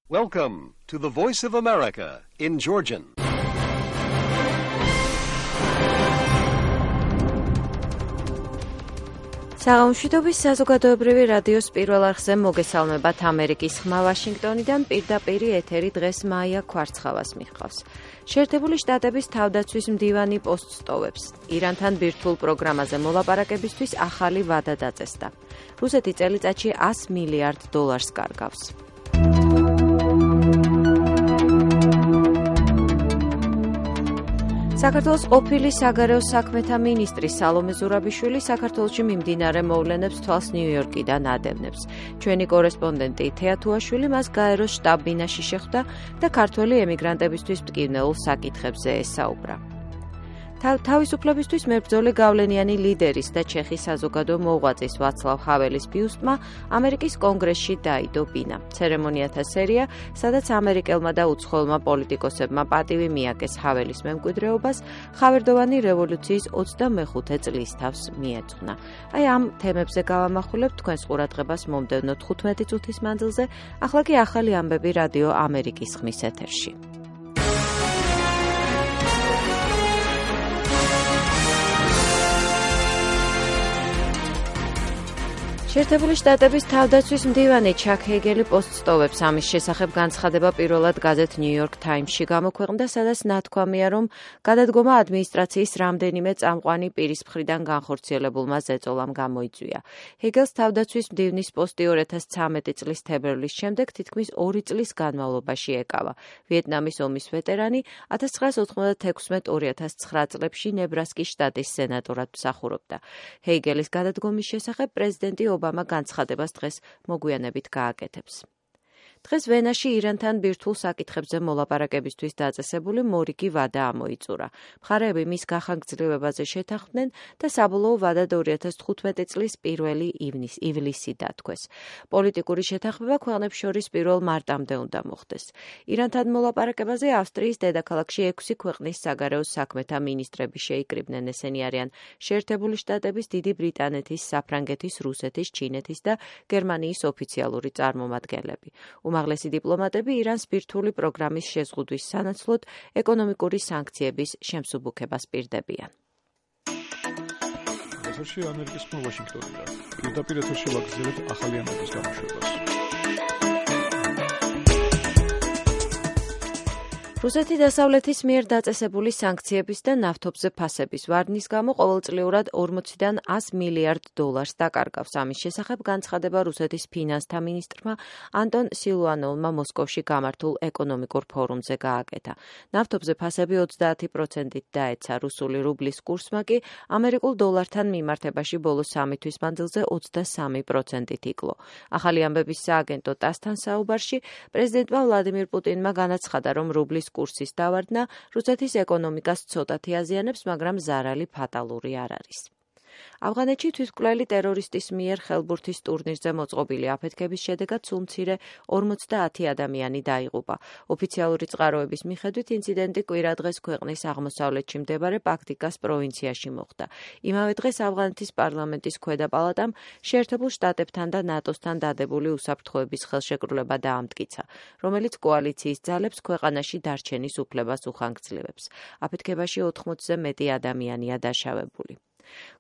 Welcome to the Voice of America in Georgian. საღამოშვიდობის საზოგადოებრივი რადიოს პირველ არხზე მოგესალმებათ ამერიკის ხმა ვაშინგტონიდან პირდაპირ ეთერი დღეს მაია ქვარცხავას მიჰყავს. შეერთებული შტატების თავდაცვის მდივანი პოსტს ტოვებს. ირანთან ბირთვულ პროგრამაზე მოლაპარაკებისთვის ახალი ვადა დაწესდა. რუსეთი წელიწადში $100 მილიარდ კარგავს. საქართველოს ყოფილი საგარეო საქმეთა მინისტრი სალომე ზურაბიშვილი საქართველოში მიმდინარე მოვლენებს თვალს ნიუ-იორკიდან ადევნებს. ჩვენი კორესპონდენტი თეა თუაშვილი მას გაეროს შტაბ-ბინაში შეხვდა და ქართველი ემიგრანტებისთვის მტკივნეულ საკითხებზე ესაუბრა. თავისუფლებისთვის მებრძოლი გავლენიანი ლიდერის და ჩეხის საზოგადო მოღვაწის ვაცლავ ჰაველის ბიუსტმა ამერიკის კონგრესში დაიდო ბინა. ცერემონიათა სერია, სადაც ამერიკელმა და უცხოელმა პოლიტიკოსებმა პატივი მიაგეს ჰაველის მემკვიდრეობას, ხავერდოვანი რევოლუციის 25 წლის თავს მიეძღვნა. ამ თემებზე გავამახვილებ თქვენს ყურადღებას მომდევნო 15 წუთის მანძილზე, ახლა კი ახალი ამბები რადიო ამერიკის ხმის ეთერში. შეერთებული შტატების თავდაცვის მდივანი ჩაკ ჰეგელი პოსტს ტოვებს. ამის შესახებ განცხადება პირველად გაზეთ ნიუ-იორკ თაიმსში გამოქვეყნდა, სადაც ნათქვამია, რომ გადადგომა ადმინისტრაციის რამდენიმე წამყვანი პირის მხრიდან განხორციელებულმა ზეწოლამ გამოიწვია. ჰეგელს თავდაცვის მდივნის პოსტი 2013 წლის თებერვლის შემდეგ თითქმის 2 წლის განმავლობაში ეკავა. ვიეტნამის ომის ვეტერანი 1996-2009 წლებში ნებრასკის შტატის სენატორად მსახურობდა. ჰეგელის გადადგომის შესახებ პრეზიდენტი ობამა განცხადებას დღეს მოგვიანებით გააკეთებს. დღეს ვენაში ირანთან ბირთვულ საკითხებზე მოლაპარაკებისთვის დაწესებული მორიგი ვადა ამოიწურა. მხარეები მის გახანგრძლივებაზე შეთანხმდნენ და საბოლოო ვადა 2015 წლის 1 ივლისი დათქვეს. პოლიტიკური შეთანხმება ქვეყნებს შორის 1 მარტამდე უნდა მოხდეს. ირანთან მოლაპარაკებაზე ავსტრიის დედაქალაქში 6 ქვეყნის საგარეო საქმეთა მინისტრები შეიკრიბნენ. ესენი არიან შეერთებული შტატების, დიდი ბრიტანეთის, საფრანგეთის, რუსეთის, ჩინეთის და გერმანიის ოფიციალური წარმომადგენლები. უმაღლესი დიპლომატები ირანს ბირთვული პროგრამის შეზღუდვის სანაცვლოდ ეკონომიკური სანქციების შემსუბუქებას პირდებიან. ეთერში ამერიკის ხმა ვაშინგტონიდან. პირდაპირ ეთერში ვაგრძელებთ ახალი ამბების გამოშვებას. რუსეთი დასავლეთის მიერ დაწესებული სანქციების და ნავთობზე ფასების ვარდნის გამო ყოველწლიურად 40-დან $100 მილიარდ დაკარგავს. ამის შესახებ განცხადება რუსეთის ფინანსთა მინისტრმა ანტონ სილუანოვმა მოსკოვში გამართულ ეკონომიკურ ფორუმზე გააკეთა. ნავთობზე ფასები 30%-ით დაეცა. რუსული რუბლის კურსმა კი ამერიკულ დოლართან მიმართებაში ბოლო 3 თვის მანძილზე 23%-ით იკლო. ახალი ამბების სააგენტო ტასთან საუბარში პრეზიდენტმა ვლადიმირ პუტინმა განაცხადა, რომ რუბლის კურსის დავარდნა რუსეთის ეკონომიკას ცოტათი აზიანებს, მაგრამ ზარალი ფატალური არ არის. ავღანეთში თვითმკვლელი ტერორისტის მიერ ხელბურთის ტურნირზე მოწყობილი აფეთქების შედეგად სულ მცირე 50 ადამიანი დაიღუპა. ოფიციალური წყაროების მიხედვით ინციდენტი კვირადღეს ქვეყნის აღმოსავლეთში მდებარე პაქტიკას პროვინციაში მოხდა. იმავე დღეს ავღანეთის პარლამენტის ქვედა პალატამ შეერთებულ შტატებთან და ნატოსთან დადებული უსაფრთხოების ხელშეკრულება დაამტკიცა, რომელიც კოალიციის ძალებს ქვეყანაში დარჩენის უფლებას უხანგრძლივებს. აფეთქებაში 80-ზე მეტი ადამიანია დაშავებული.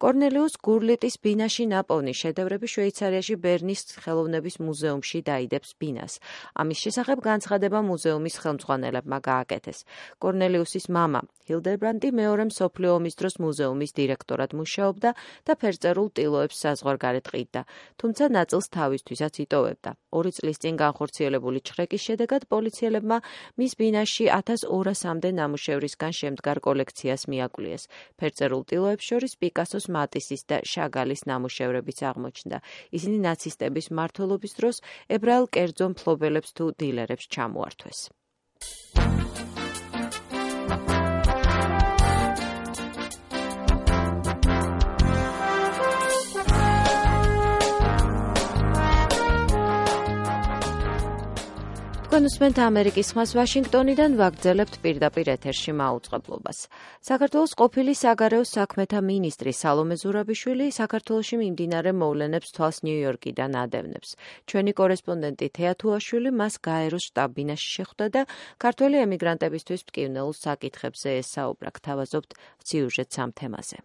კორნელიუს გურლიტის ბინაში ნაპოვნი შედევრები შვეიცარიაში ბერნის ხელოვნების მუზეუმში დაიდებს ბინას. ამის შესახებ განცხადება მუზეუმის ხელმძღვანელებმა გააკეთეს. კორნელიუსის მამა ჰილდერბრანდი მეორე მსოფლიო ომის დროს მუზეუმის დირექტორად მუშაობდა და ფერწერულ ტილოებს საზღვარგარეთ ყიდდა, თუმცა ნაწილს თავისთვისაც იტოვებდა. 2 წლის წინ განხორციელებული ჩხრეკის შედეგად პოლიციელებმა მის ბინაში 1200-მდე ნამუშევრისგან შემდგარ კოლექციას მიაკვლიეს. ფერწერულ ტილოებს შორის პიკასოს, მატისის და შაგალის ნამუშევრებიც აღმოჩნდა. ისინი ნაცისტების მმართველობის დროს ებრაელ კერძო მფლობელებს თუ დილერებს ჩამოართვეს. თქვენ უსმენთ ამერიკის ხმას ვაშინგტონიდან, ვაგრძელებთ პირდაპირ ეთერში მაუწყებლობას. საქართველოს ყოფილი საგარეო საქმეთა მინისტრი სალომე ზურაბიშვილი საქართველოში მიმდინარე მოვლენებს თვალს ნიუ-იორკიდან ადევნებს. ჩვენი კორესპონდენტი თეა თუაშვილი მას გაეროს შტაბ-ბინაში შეხვდა და ქართველი ემიგრანტებისთვის მტკივნეულ საკითხებზე ესაუბრა. გთავაზობთ სიუჟეტს ამ თემაზე.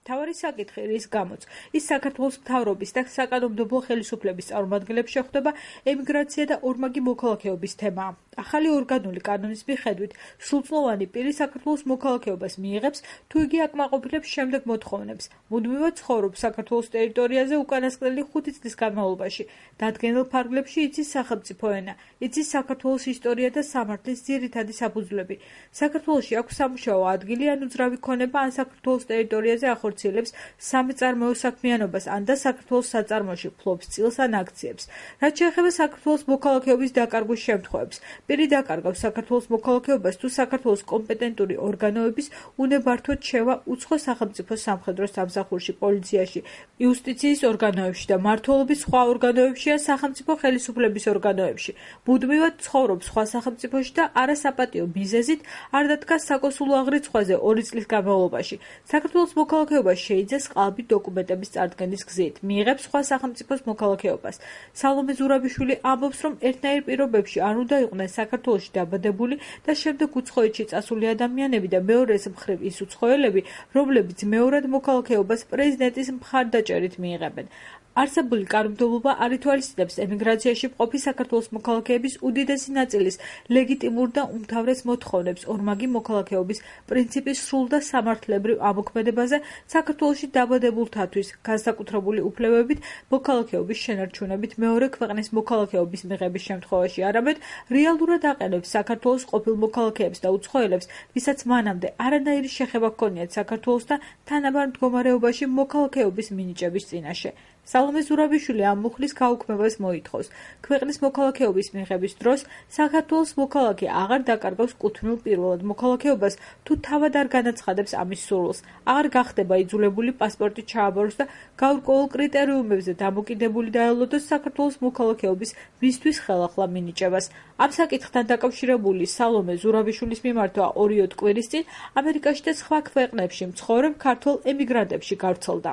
თავარი საკითხი, რის გამოც ის საქართველოს მთავრობის და საკანონმდებლო ხელისუფლების წარმომადგენლებს შეხვდება ემიგრაცია და ორმაგი მოქალაქეობის თემა. ახალი ორგანული კანონის მიხედვით სრულწლოვანი პირი საქართველოს მოქალაქეობას მიიღებს, თუ იგი აკმაყოფილებს შემდეგ მოთხოვნებს. მუდმივად ცხოვრობს საქართველოს ტერიტორიაზე უკანასკნელი 5 წლის განმავლობაში. დადგენილ ფარგლებში იცის სახელმწიფო ენა, იცის საქართველოს ისტორია და სამართლის ძირითადი საფუძვლები. საქართველოში აქვს სამუშაო ადგილი ან უძრავი ქონება, ან საქართველოს ტერიტორიაზე ახორციელებს სამეწარმოო საქმიანობას, ან და საქართველოს საწარმოში ფლობს წილს ან აქციებს. რაც შეეხება საქართველოს მოქალაქეობის დაკარგვის შემთხვევებს, პირი დაკარგავს საქართველოს მოქალაქეობას, თუ საქართველოს კომპეტენტური ორგანოების უნებართვოდ შევა უცხო სახელმწიფო სამხედრო სამსახურში, პოლიციაში, იუსტიციის ორგანოებში და მმართველობის სხვა ორგანოებში ან სახელმწიფო ხელისუფლების ორგანოებში. მუდმივად ცხოვრობს სხვა სახელმწიფოში და არასაპატიო მიზეზით არ დადგა საკონსულო აღრიცხვაზე 2 წლის განმავლობაში. საქართველოს მოქალაქეობას შეიძეს ყალბი დოკუმენტების წარდგენის გზით, მიიღებს სხვა სახელმწიფოს მოქალაქეობას. სალომე ზურაბიშვილი ამბობს, რომ ერთნაირ პირობებში არ უნდა იყვნენ საქართველოში დაბადებული და შემდეგ უცხოეთში წასული ადამიანები და მეორეს მხრივ ის უცხოელები, რომლებიც მეორად მოქალაქეობას პრეზიდენტის მხარდაჭერით მიიღებენ. არსებული კანონმდებლობა არ ითვალისწინებს ემიგრაციაში მყოფი საქართველოს მოქალაქეების უდიდესი ნაწილის ლეგიტიმურ და უმთავრეს მოთხოვნებს ორმაგი მოქალაქეობის პრინციპის სრულ და სამართლებრივ ამოქმედებაზე საქართველოში დაბადებულთათვის განსაკუთრებული უფლებებით მოქალაქეობის შენარჩუნებით მეორე ქვეყნის მოქალაქეობის მიღების შემთხვევაში, არამედ რეალურად აყენებს საქართველოს ყოფილ მოქალაქეებს და უცხოელებს, ვისაც მანამდე არანაირი შეხება ჰქონიათ საქართველოს და თანაბარ მდგომარეობაში მოქალაქეობის მინიჭების წინაშე. სალომე ზურაბიშვილი ამ მუხლის გაუქმებას მოითხოვს. ქვეყნის მოქალაქეობის მიღების დროს საქართველოს მოქალაქე აღარ დაკარგავს კუთვნილ პირველად მოქალაქეობას, თუ თავად არ განაცხადებს ამის სურვილს, აღარ გახდება იძულებული პასპორტი ჩააბაროს და გაურკვეველ კრიტერიუმებზე დამოკიდებული დაელოდოს საქართველოს მოქალაქეობის მისთვის ხელახლა მინიჭებას. ამ საკითხთან დაკავშირებული სალომე ზურაბიშვილის მიმართვა 2 კვირის წინ ამერიკაში და სხვა ქვეყნებში მცხოვრებ ქართველ ემიგრანტებში გავრცელდა.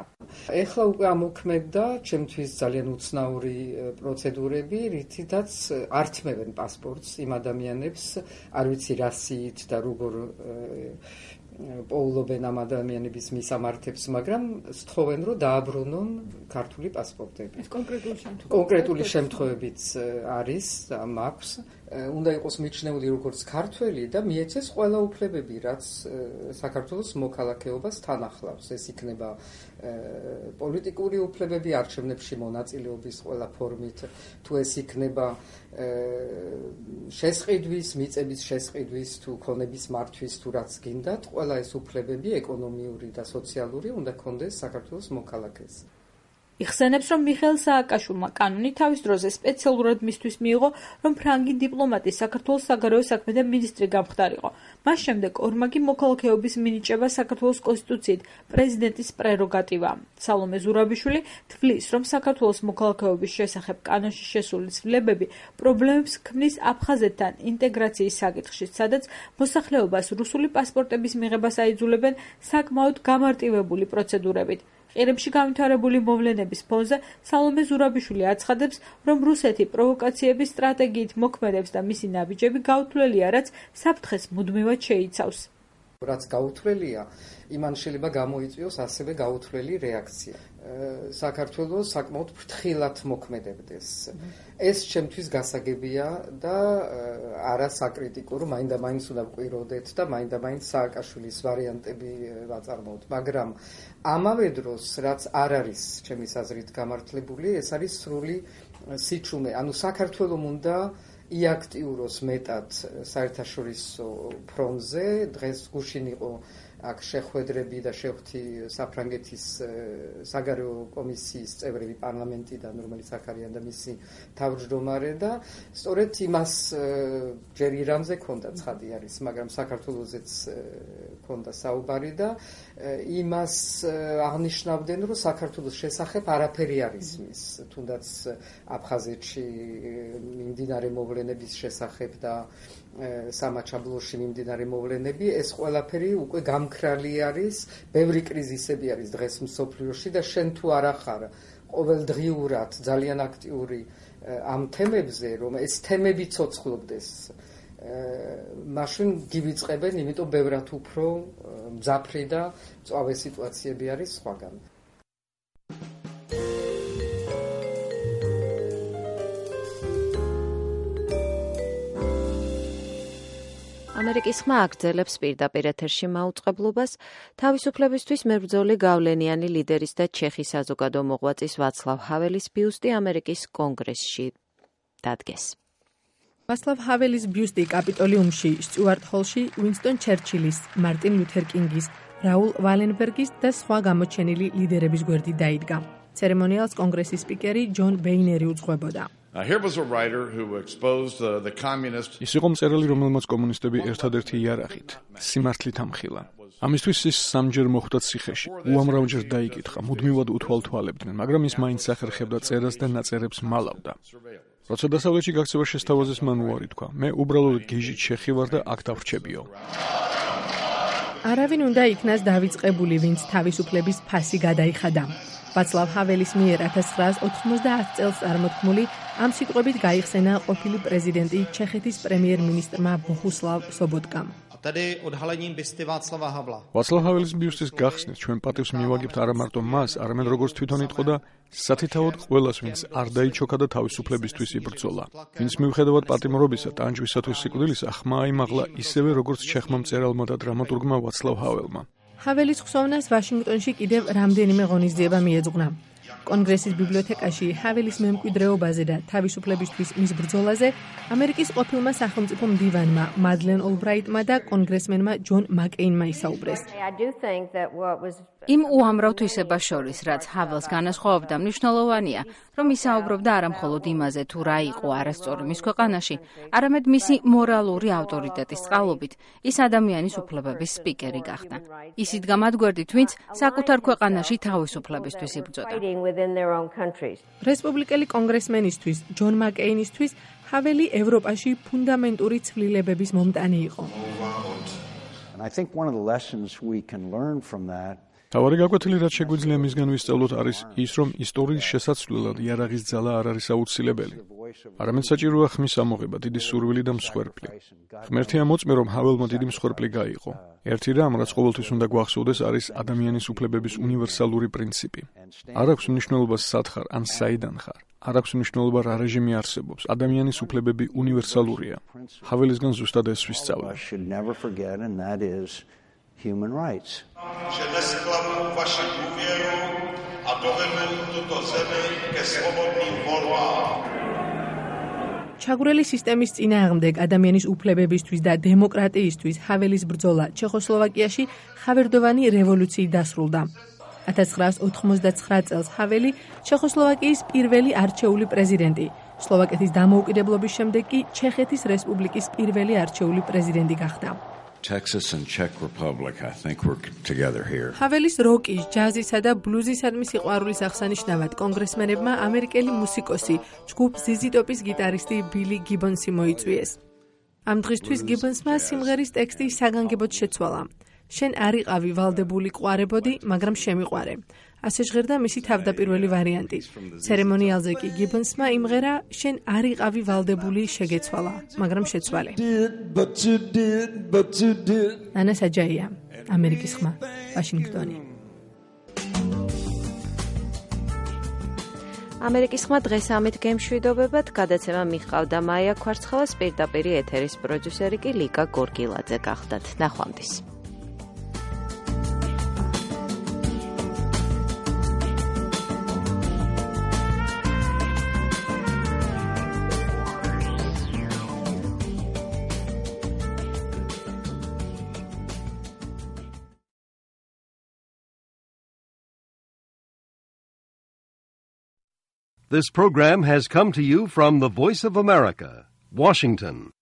ეხლა უკვე ამოქმედდა ჩემთვის ძალიან უცნაური პროცედურები, რითაც ართმევენ პასპორტს იმ ადამიანებს, არ ვიცი რა სიით და როგორ პოულობენ ამ ადამიანების მისამართებს, მაგრამ სთხოვენ, რომ დააბრუნონ ქართული პასპორტები. ეს კონკრეტული შემთხვევებიც არის, მაქვს. უნდა იყოს მიჩნეული როგორც ქართველი და მიეცეს ყველა უფლებები, რაც საქართველოს მოქალაქეობას თან ახლავს. ეს იქნება პოლიტიკური უფლებები, არჩევნებში მონაწილეობის ყველა ფორმით, თუ ეს იქნება შესყიდვის, მიწების შესყიდვის, თუ ქონების მართვის, თუ რაც გინდათ, ყველა ეს უფლებები, ეკონომიური და სოციალური, უნდა ქონდეს საქართველოს მოქალაქეს. იხსენებს, რომ მიხეილ სააკაშვილმა კანონი თავის დროზე სპეციალურად მისთვის მიიღო, რომ ფრანგი დიპლომატი საქართველოს საგარეო საქმეთა მინისტრი გამხდარიყო. მას შემდეგ ორმაგი მოქალაქეობის მინიჭება საქართველოს კონსტიტუციით პრეზიდენტის პრეროგატივაა. სალომე ზურაბიშვილი თვლის, რომ საქართველოს მოქალაქეობის შესახებ კანონში შესული ცვლილებები პრობლემებს ქმნის აფხაზეთთან ინტეგრაციის საკითხში, სადაც მოსახლეობას რუსული პასპორტების მიღებას აიძულებენ საკმაოდ გამარტივებული პროცედურებით. ყირიმში გამთავრებული მოვლენების ფონზე სალომე ზურაბიშვილი აცხადებს, რომ რუსეთი პროვოკაციების სტრატეგიით მოქმედებს და მისი ნაბიჯები გაუთვლელია, რაც საფრთხეს მუდმივად შეიცავს. რაც გაუთვლელია, იმან შეიძლება გამოიწვიოს ასევე გაუთვლელი რეაქცია. საქართველოს საკმაოდ ფრთხილად მოქმედებდეს. ეს ჩემთვის გასაგებია და არა საკრიტიკო, რომ მაინდა-მაინც უნდა ვყვიროდეთ და მაინდა-მაინც სააკაშვილის ვარიანტები ვაწარმოოთ, მაგრამ ამავე დროს, რაც არ არის ჩემის აზრით გამართლებული, ეს არის სრული სიჩუმე. ანუ საქართველოს უნდა იაქტიუროს მეტად საერთაშორისო ფრონტზე. დღეს გუშინ იყო აქ შეხვედრები და შეხვთი საფრანგეთის საგარეო კომისიის წევრები პარლამენტიდან, რომელიც აქ არიან და მისი თავმჯდომარე და სწორედ იმას ჯერ ირანზე ქონდა ცხადი არის, მაგრამ საქართველოსაც ქონდა საუბარი და იმას აღნიშნავდნენ, რომ საქართველოს შესახებ არაფერი არ ისმის, თუნდაც აფხაზეთში მიმდინარე მოვლენების შესახებ და სამაჩაბლოში მიმდინარე მოვლენები, ეს ყველაფერი უკვე გამქრალი არის, ბევრი კრიზისები არის დღეს მსოფლიოში და შენ თუ არ ახარ ყოველდღიურად ძალიან აქტიური ამ თემებზე, რომ ეს თემები ცოცხლობდეს, მაშინ გივიწყებენ, იმიტომ ბევრად უფრო მძაფრი და მწვავე სიტუაციები არის სხვაგან. ამერიკის ხმა აგრძელებს პირდაპირ ეთერში მაუწყებლობას თავისუფლებისთვის მებრძოლი გავლენიანი ლიდერის და ჩეხის საზოგადო მოღვაწის ვაცლავ ჰაველის ბიუსტი ამერიკის კონგრესში დადგეს. ვაცლავ ჰაველის ბიუსტი კაპიტოლიუმში, სტიუარტ ჰოლში, უინსტონ ჩერჩილის, მარტინ ლუთერ კინგის, რაულ ვალენბერგის და სხვა გამოჩენილი ლიდერების გვერდით დაიდგა. ცერემონიალს კონგრესის სპიკერი ჯონ ბეინერი უძღვებოდა. ის იყო მწერალი, რომელმაც კომუნისტები ერთადერთი იარაღით, სიმართლით ამხილა. ამისთვის ის სამჯერ მოხვდა ციხეში, უამრავჯერ დაიკითხა, მუდმივად უთვალთვალებდნენ, მაგრამ ის მაინც ახერხებდა წერას და ნაწერებს მალავდა. როცა დასავლეთში გაქცევა შესთავაზეს, მან უარი თქვა, მე უბრალოდ გიჟი ჩეხი ვარ და აქ დავრჩებიო. არავინ უნდა იქნას დავიწყებული, ვინც თავისუფლების ფასი გადაიხადა. ვაცლავ ჰაველის მიერ 1990 წელს წარმოთქმული ამ სიტყვებით გაიხსენა ყოფილი პრეზიდენტი ჩეხეთის პრემიერ-მინისტრმა ბოჰუსლავ სობოტკამ. ვაცლავ ჰაველის ბიუსტის გახსნით ჩვენ პატივს მივაგებთ არა მარტო მას, არამედ როგორც თვითონ იტყო და სათითაოდ ყველას, ვინც არ დაიჩოქა და თავისუფლებისთვის იბრძოლა. ვინც მიუხედავად პატიმრობისა, ტანჯვისა თუ სიკვდილისა, ხმა აიმაღლა ისევე როგორც ჩეხმა მწერალმა და დრამატურგმა ვაცლავ ჰაველმა. ჰაველის ხსოვნას ვაშინგტონში კიდევ რამდენიმე ღონისძიება მიეძღვნა. კონგრესის ბიბლიოთეკაში ჰაველის მემკვიდრეობაზე და თავისუფლებისთვის მის ბრძოლაზე ამერიკის ყოფილმა სახელმწიფო მდივანმა მადლენ ოლბრაიტმა და კონგრესმენმა ჯონ მაკეინმა ისაუბრეს. იმ უამრავ თვისებას შორის, რაც ჰაველს განასხვავებდა, მნიშვნელოვანია, რომ ისაუბრობდა არა მხოლოდ იმაზე, თუ რა იყო არასწორი მის ქვეყანაში, არამედ მისი მორალური ავტორიტეტის წყალობით ის ადამიანის უფლებების სპიკერი გახდა. ის იდგა მათ გვერდით, ვინც საკუთარ ქვეყანაში თავისუფლებისთვის იბრძოდა. რესპუბლიკელი კონგრესმენისთვის, ჯონ მაკეინისთვის, ჰაველი ევროპაში ფუნდამენტური ცვლილებების მომტანი იყო. თავარი გაკვეთილი, რაც შეგვიძლია მისგან ვისწავლოთ, არის ის, რომ ისტორიის შესაცვლელად იარაღის ძალა არ არის აუცილებელი. არამედ საჭიროა ხმის ამოღება, დიდი სურვილი და მსხვერპლი. ღმერთია მოწმე, რომ ჰაველმა დიდი მსხვერპლი გაიყო. ერთი რამ, რაც ყოველთვის უნდა გვახსოვდეს, არის ადამიანის უფლებების უნივერსალური პრინციპი. არ აქვს მნიშვნელობა სად ხარ ან საიდან ხარ. არ აქვს მნიშვნელობა რა რეჟიმი არსებობს. ადამიანის უფლებები უნივერსალურია. ჰაველისგან ზუსტად ეს ვისწავლე. Human rights. Nesklamu vaši důvěru a dovedu tuto zemi ke svobodným volbám. ჩაგვრელი სისტემის წინააღმდეგ ადამიანის უფლებებისთვის და დემოკრატიისთვის ჰაველის ბრძოლა ჩეხოსლოვაკიაში ხავერდოვანი რევოლუციით დასრულდა. 1989 წელს ჰაველი ჩეხოსლოვაკიის პირველი არჩეული პრეზიდენტი, სლოვაკეთის დამოუკიდებლობის შემდეგ კი ჩეხეთის რესპუბლიკის პირველი არჩეული პრეზიდენტი გახდა. Texas and Czech Republic, I think we're together here. ჰაველის როკის, ჯაზისა და ბლუზისადმი სიყვარულის აღსანიშნავად კონგრესმენებმა ამერიკელი მუსიკოსი, ჯგუფ ZZ Top-ის გიტარისტი ბილი გიბონსი მოიწვიეს. ამ დღისთვის გიბონსმა სიმღერის ტექსტი საგანგებოდ შეცვალა. შენ არ იყავი ვალდებული ყვარებოდი, მაგრამ შემიყვარე. ასე ჟღერდა მისი თავდაპირველი ვარიანტი. ცერემონიალზე კი გიბონსმა იმღერა შენ არ იყავი ვალდებული, შეგეცვალა, მაგრამ შეცვალე. ანა საჯაია, ამერიკის ხმა, ვაშინგტონი. ამერიკის ხმა დღეს ამით გემშვიდობებად, გადაცემა მიჰყავდა მაია ქვარცხელას, პირდაპირ ეთერის პროდიუსერი კი ლიკა გორგილაძე გახდათ. ნახვამდის. This program has come to you from the Voice of America, Washington.